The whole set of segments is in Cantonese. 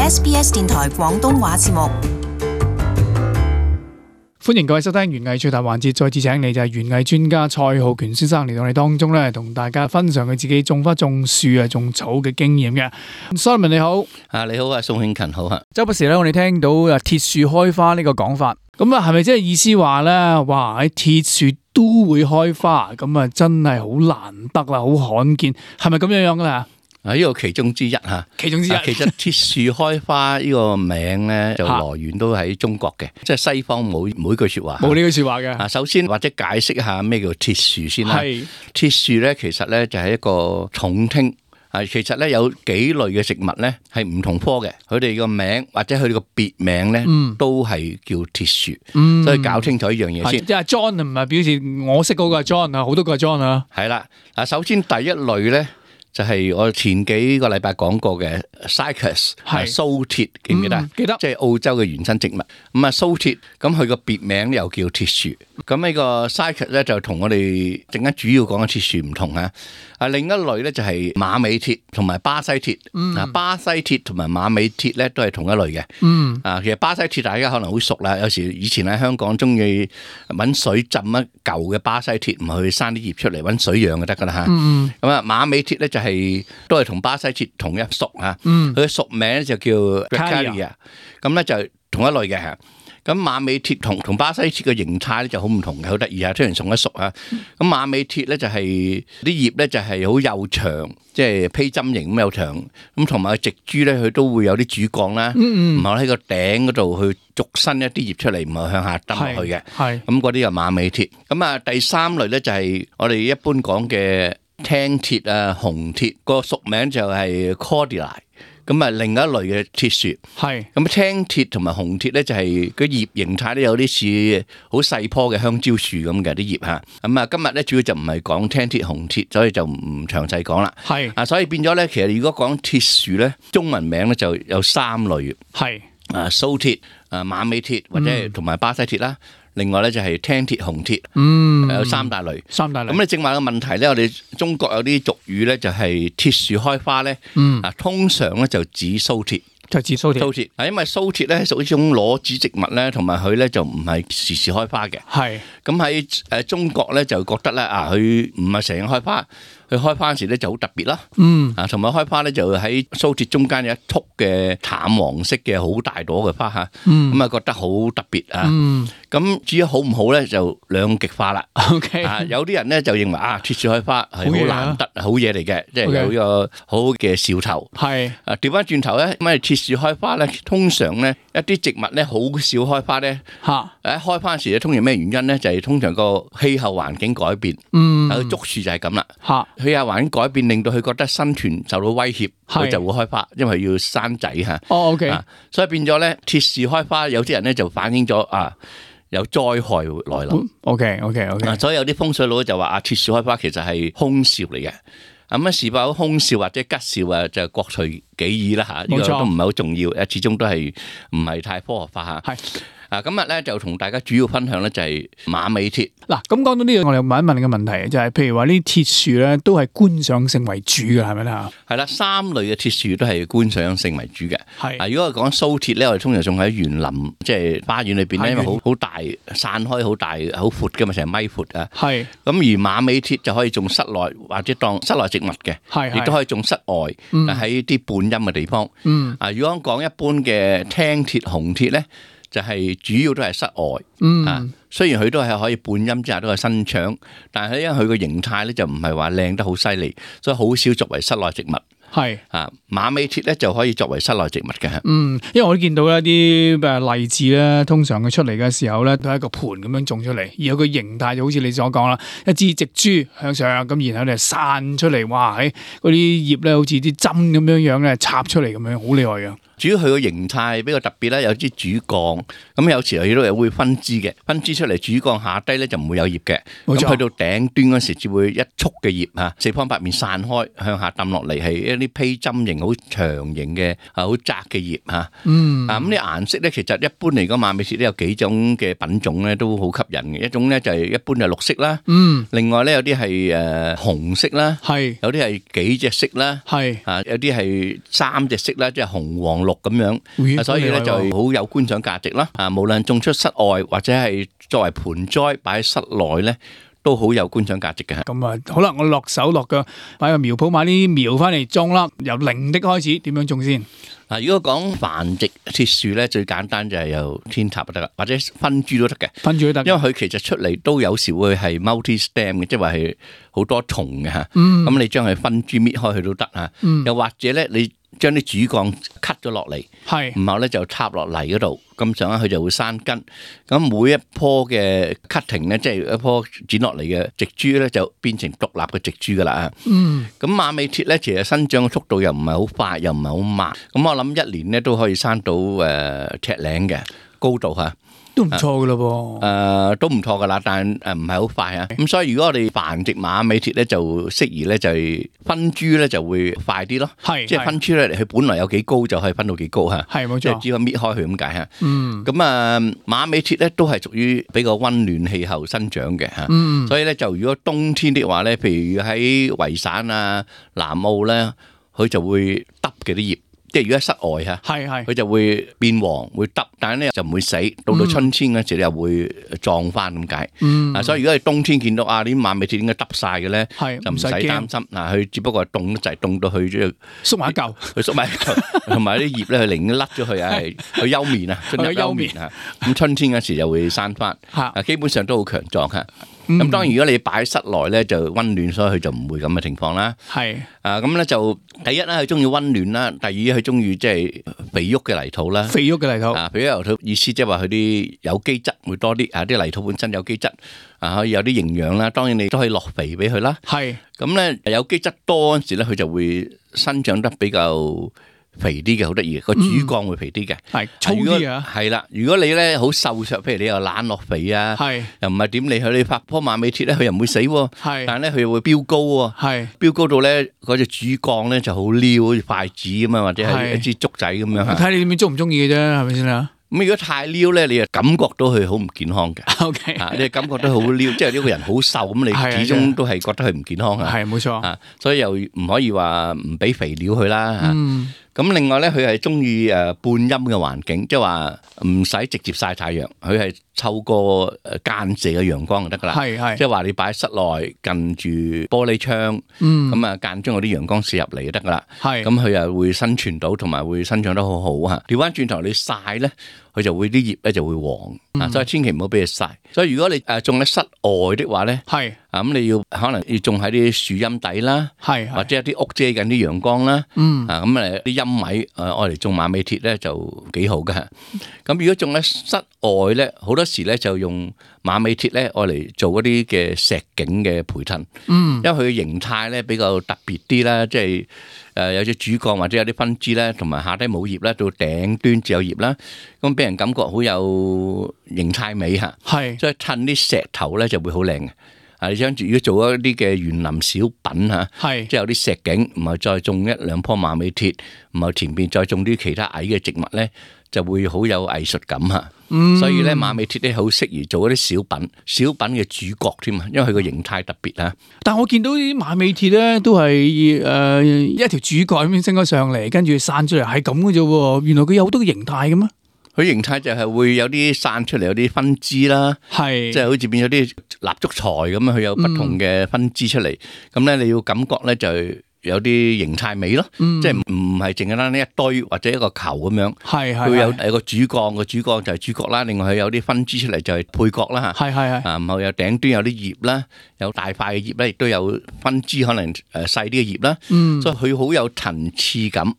SBS 電台廣東話節目。歡迎各位收聽園藝趣談環節，再次請你就係園藝專家蔡浩權先生嚟到我哋當中咧，同大家分享佢自己種花、種樹啊、種草嘅經驗嘅。Simon 你好，你好啊，宋慶勤好啊。周不時咧，我哋聽到鐵樹開花呢個講法，咁啊係咪即係意思話咧，哇喺鐵樹都會開花，咁啊真係好難得啦，好罕見，係咪咁樣樣噶啦？呢個其中之一嚇，其中之一。其實鐵樹開花呢個名咧，就來源都喺中國嘅，即係西方冇每句説話。冇呢句説話嘅。首先或者解釋一下咩叫鐵樹先啦。鐵樹咧，其實咧就係一個重聽。其實咧有幾類嘅植物咧係唔同科嘅，佢哋個名或者佢哋個別名咧都係叫鐵樹，所以搞清楚一樣嘢先。即係 John 唔係表示我識嗰個係 John 啊，好多個係 John 啊。係啦，首先第一類咧。就係我前幾個禮拜講過嘅 Cycas 係蘇鐵，記唔記得？記得，即係澳洲嘅原生植物。咁啊蘇鐵，咁佢個別名又叫鐵樹。咁呢個 Cycas 咧就同我哋陣間主要講嘅鐵樹唔同啊。另一類咧就係馬尾鐵同埋巴西鐵。巴西鐵同埋馬尾鐵咧都係同一類嘅。其實巴西鐵大家可能好熟啦。有時以前喺香港中意揾水浸一舊嘅巴西鐵，唔係去生啲葉出嚟揾水養就得噶啦嚇。咁啊馬尾鐵咧就都係同巴西鐵同一屬嚇，佢嘅屬名咧就叫 Dracalia， 咁咧就同一類嘅嚇。咁馬尾鐵同巴西鐵嘅形態咧就好唔同嘅，好得意啊！雖然同一屬啊，咁馬尾鐵咧就係啲葉咧就係好幼長，即係披針形咁幼長，咁同埋植株咧佢都會有啲主幹啦，然後喺個頂嗰度去逐伸一啲葉出嚟，唔係向下揼落去嘅。咁嗰啲就馬尾鐵。咁啊第三類咧就係我哋一般講嘅青鐵啊、紅鐵，個屬名就係 Cordylia， 咁啊另一類嘅鐵樹。咁青鐵同埋紅鐵咧就係個葉形態咧有啲似好細棵嘅香蕉樹咁嘅啲葉嚇。咁啊今日咧主要就唔係講青鐵、紅鐵，所以就唔詳細講啦。所以變咗咧，其實如果講鐵樹咧，中文名咧就有三類。蘇鐵、馬尾鐵或者同埋巴西鐵啦。另外咧就係青鐵、紅鐵，有三大類。咁你正話個問題咧，我哋中國有啲俗語咧，就係鐵樹開花咧，通常咧就指蘇鐵。就指蘇鐵，因為蘇鐵咧係屬於一種裸子植物咧，同埋佢咧就唔係時時開花嘅。咁喺中國咧就覺得咧佢唔係成日開花，佢開花時咧就好特別啦。同埋開花咧就喺蘇鐵中間有一簇嘅淡黃色嘅好大朵嘅花嚇，咁啊覺得好特別啊。咁至於好唔好咧，就兩極化啦。有啲人咧就認為鐵樹開花係好難得好嘢嚟嘅，即係有一個好好嘅兆頭。調翻轉頭咧，咁鐵樹開花咧，通常咧一啲植物咧好少開花咧。開花時咧，通常咩原因咧？就係通常個氣候環境改變。竹樹就係咁啦。氣候環境改變，令到佢覺得生存受到威脅，佢就會開花，因為要生仔嚇。所以變咗咧，鐵樹開花，有啲人咧就反映咗有災害來臨。所以有啲風水佬就話鐵樹開花其實係凶兆嚟嘅。咁是否凶兆或者吉兆啊？就各隨己意啦嚇。呢個都唔係好重要，始終都係唔係太科學化嚇。今日咧就同大家主要分享咧就係馬尾鐵。嗱，咁講到呢度，我哋問一問你個問題，就係譬如話呢啲鐵樹咧都係觀賞性為主嘅，係咪咧？係啦，三類嘅鐵樹都係觀賞性為主嘅。如果係講蘇鐵咧，我哋通常種喺園林，即係花園裏邊咧，因為好大散開好大好闊嘅嘛，成米闊啊。咁而馬尾鐵就可以種室內或者當室內植物嘅，亦都可以種室外，喺啲半陰嘅地方。如果講一般嘅青鐵、紅鐵咧，就係主要都係室外。雖然佢都係可以半陰之下都係生長，但係因為佢個形態咧就唔係話靚得好犀利，所以好少作為室內植物。馬尾鐵咧就可以作為室內植物嘅。因為我都見到一啲例子咧，通常佢出嚟嘅時候咧，都係一個盤咁樣種出嚟，而有個形態就好似你所講啦，一支直株向上咁，然後咧散出嚟，哇！喺嗰啲葉咧好似啲針咁樣樣咧插出嚟咁樣，好厲害嘅。主要佢個形態比較特別啦，有啲主幹，咁有時佢都會分枝嘅，分枝出嚟主幹下低咧就唔會有葉嘅，咁去到頂端嗰時只會一束嘅葉嚇，四方八面散開向下揼落嚟，係一啲披針形好長形嘅好窄嘅葉嚇。咁啲顏色咧，其實一般嚟講馬尾鐵都有幾種嘅品種咧，都好吸引嘅。一種咧就係一般係綠色啦，另外咧有啲係紅色啦，有啲係幾隻色啦，有啲係三隻色啦，即係紅黃綠咁樣，所以咧就好有觀賞價值啦。無論種出室外或者係作為盆栽擺喺室內咧，都好有觀賞價值嘅。咁啊，好啦，我落手落腳買個苗圃，買啲苗翻嚟種啦，由零的開始，點樣種先？如果講繁殖鐵樹咧，最簡單就係由天塔就得啦，或者分株都得嘅，分株都得。因為佢其實出嚟都有時會係 multi stem 嘅，即係話係好多重嘅嚇。咁你將佢分株搣開佢都得嚇。又或者咧，你將啲主幹 cut 咗落嚟，然後咧就插落泥嗰度，咁上下佢就會生根。咁每一棵嘅 cutting 咧，即係一棵剪落嚟嘅植株咧，就變成獨立嘅植株噶啦。咁馬尾鐵咧，其實生長嘅速度又唔係好快，又唔係好慢。咁我諗一年咧都可以生到尺零嘅高度嚇。都唔錯噶咯噃，都唔錯噶啦，但係唔係好快啊。咁所以如果我哋繁殖馬尾鐵咧，就適宜咧就係分株咧就會快啲咯。即係分株咧，佢本來有幾高就可以分到幾高嚇。係冇錯，即係只可以搣開佢咁解嚇。咁馬尾鐵咧都係屬於比較溫暖氣候生長嘅嚇。所以咧就如果冬天的話咧，譬如喺維省啊、南澳咧，佢就會耷嘅啲葉。即係如果喺室外嚇，佢就會變黃，會耷，但係咧就唔會死。到春天嗰時又會壯翻咁解。所以如果係冬天見到啲馬尾鐵應該耷晒嘅咧，就唔使擔心。佢只不過係凍得滯，凍到佢縮埋一嚿，佢縮埋一嚿，同埋啲葉咧佢寧願甩咗佢去休眠啊，進入休眠啊。咁春天嗰時就會生翻。基本上都好強壯嚇。咁當然如果你擺喺室內咧就溫暖，所以佢就唔會咁嘅情況啦。咁咧就第一咧佢中意溫暖啦，第二佢中意即係肥沃嘅泥土啦。肥沃嘅泥土，肥沃泥土意思即係話佢啲有機質會多啲，啲泥土本身有機質，可以有啲營養啦。當然你都可以落肥俾佢啦。咁咧有機質多嗰陣時咧，佢就會生長得比較肥啲嘅，好得意嘅，個主幹會肥啲嘅，粗啲啊。係啦，如果你咧好瘦削，譬如你又懶落肥啊，又唔係點理佢，你拍棵馬尾鐵咧，佢又唔會死喎。但係咧佢又會飆高喎。飆高到咧嗰隻主幹咧就好撩，好似筷子咁啊，或者係一支竹仔咁樣。睇你點樣中唔中意嘅啫，係咪先啊？咁如果太撩咧，你就感覺到佢好唔健康嘅。你感覺到好撩，即係呢個人好瘦咁，你始終都係覺得佢唔健康啊。係冇錯。所以又唔可以話唔俾肥料佢啦。咁另外咧，佢係中意半陰嘅環境，即係話唔使直接曬太陽，佢係透過間射嘅陽光就得噶啦。即係話你擺喺室內近住玻璃窗，咁間中嗰啲陽光射入嚟就得噶啦。咁佢又會生存到，同埋會生長得好好嚇。調翻轉頭你曬咧，佢就會啲葉咧就會黃，所以千祈唔好俾佢曬。所以如果你種喺室外的話咧，咁你要可能要種喺啲樹蔭底啦，或者有啲屋遮緊啲陽光啦，咁啲陰位愛嚟種馬尾鐵咧就幾好嘅。咁如果種喺室外咧，好多時咧就用馬尾鐵咧愛嚟做嗰啲嘅石景嘅培襯，因為佢嘅形態咧比較特別啲啦，即係有隻主幹或者有啲分支咧，同埋下低冇葉咧，到頂端只有葉啦，咁俾人感覺好有形態美嚇，所以襯啲石頭咧就會好靚嘅。你想住如果做一啲嘅園林小品嚇，即係有啲石景，唔係再種一兩棵馬尾鐵，唔係前邊再種啲其他矮嘅植物咧，就會好有藝術感嚇。所以咧馬尾鐵咧好適宜做一啲小品嘅主角添啊，因為佢個形態特別啊。但我見到啲馬尾鐵咧都係一條主幹咁樣升咗上嚟，跟住散出嚟係咁嘅啫喎。原來佢有好多形態嘅咩？佢形態就係會有啲散出嚟，有啲分支啦，即係好似變咗啲蠟燭材咁樣，佢有不同嘅分支出嚟。咁咧你要感覺咧就有啲形態美咯，即係唔係淨係單一堆或者一個球咁樣，佢有個主幹，個主幹就係主角啦。另外佢有啲分支出嚟就係配角啦嚇，然後有頂端有啲葉啦，有大塊嘅葉咧，亦都有分支可能細啲嘅葉啦，所以佢好有層次感。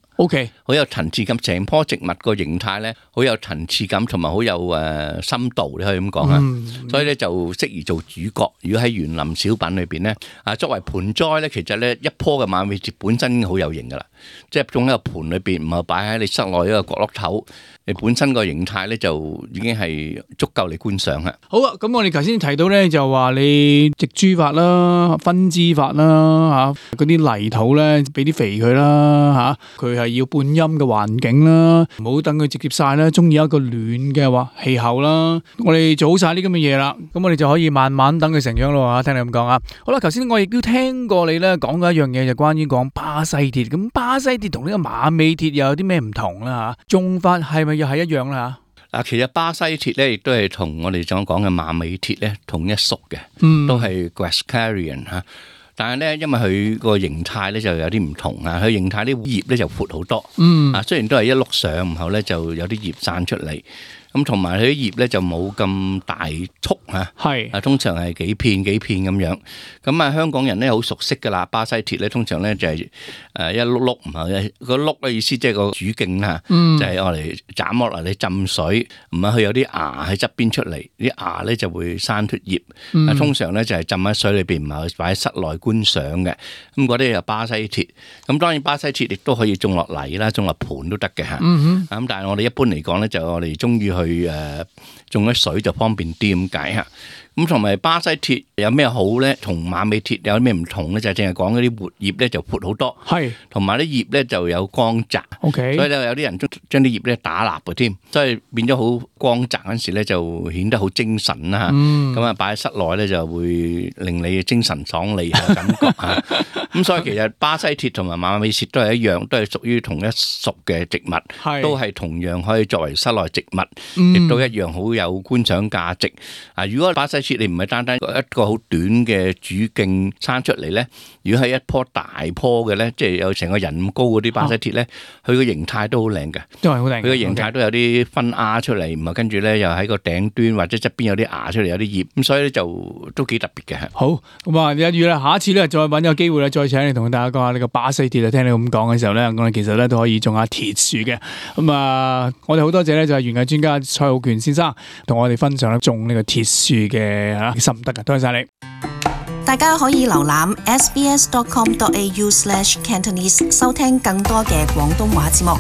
好有層次感，成棵植物個形態咧，好有層次感，同埋好有深度，你可以咁講啊。所以咧就適宜做主角。如果喺園林小品裏邊咧，作為盆栽咧，其實咧一棵嘅馬尾鐵本身已經好有型噶啦，即係種喺個盆裏邊，唔係擺喺你室內一個角落頭，你本身個形態咧就已經係足夠你觀賞啦。好啊，咁我哋頭先提到咧就話你植株法啦、分支法啦嚇，嗰啲泥土咧俾啲肥佢啦嚇，佢係要半陰嘅環境啦，唔好等佢直接曬啦，中意一個暖嘅氣候啦。我哋做好晒呢咁嘅嘢啦，咁我哋就可以慢慢等佢成長咯。聽你咁講啊，好啦，頭先我亦都聽過你咧講過一樣嘢，就關於講巴西鐵。咁巴西鐵同呢個馬尾鐵又有啲咩唔同啦？吓，種法係咪又係一樣啦？嗱，其實巴西鐵咧亦都係同我哋所講嘅馬尾鐵咧同一屬嘅，都係 Guascarian 吓。但係咧，因為佢個形態咧就有啲唔同啊，佢形態啲葉咧就闊好多，雖然都係一碌上，然後咧就有啲葉散出嚟。咁同埋佢啲葉咧就冇咁大束嚇，係通常係幾片咁樣。咁啊，香港人咧好熟悉噶啦，巴西鐵咧通常咧就係一碌碌，唔係個碌嘅意思，即係個主徑啦，就係我嚟斬落嚟你浸水，唔係佢有啲芽喺側邊出嚟，啲芽咧就會生脫葉。通常咧就係浸喺水裏邊，唔係擺喺室內觀賞嘅。咁嗰啲就巴西鐵。咁當然巴西鐵亦都可以種落泥啦，種落盤都得嘅嚇。咁但係我哋一般嚟講咧，就我哋中意去種咗水就方便啲咁解吓。咁同埋巴西鐵有咩好咧？同馬尾鐵有咩唔同咧？就係淨係講嗰啲活葉咧就闊好多，係同埋啲葉咧就有光澤。OK，所以咧有啲人將啲葉咧打蠟嘅添，所以變咗好光澤嗰時咧就顯得好精神啦。咁啊擺喺室內咧就會令你精神爽利嘅感覺吓。咁所以其實巴西鐵同埋馬尾鐵都係一樣，都係屬於同一屬嘅植物，都係同樣可以作為室內植物，亦都一樣好有觀賞價值。啊，如果巴西鐵你唔係單單一個好短嘅主徑生出嚟咧，如果係一棵大棵嘅咧，即係有成個人咁高嗰啲巴西鐵咧，佢個形態都好靚嘅，都係好靚。佢個形態都有啲分芽出嚟，咁啊跟住咧又喺個頂端或者側邊有啲芽出嚟，有啲葉，咁所以咧就都幾特別嘅。好，咁啊，一於啦，下一次咧再揾個機會咧，再請你同大家講下呢個巴西鐵啊。聽你咁講嘅時候咧，我哋其實咧都可以種下鐵樹嘅。咁啊，我哋好多謝咧就係園藝專家蔡浩權先生同我哋分享咧種呢個鐵樹嘅心得嘅，多謝晒你。大家可以瀏覽 sbs.com.au/Cantonese 收聽更多嘅廣東話節目。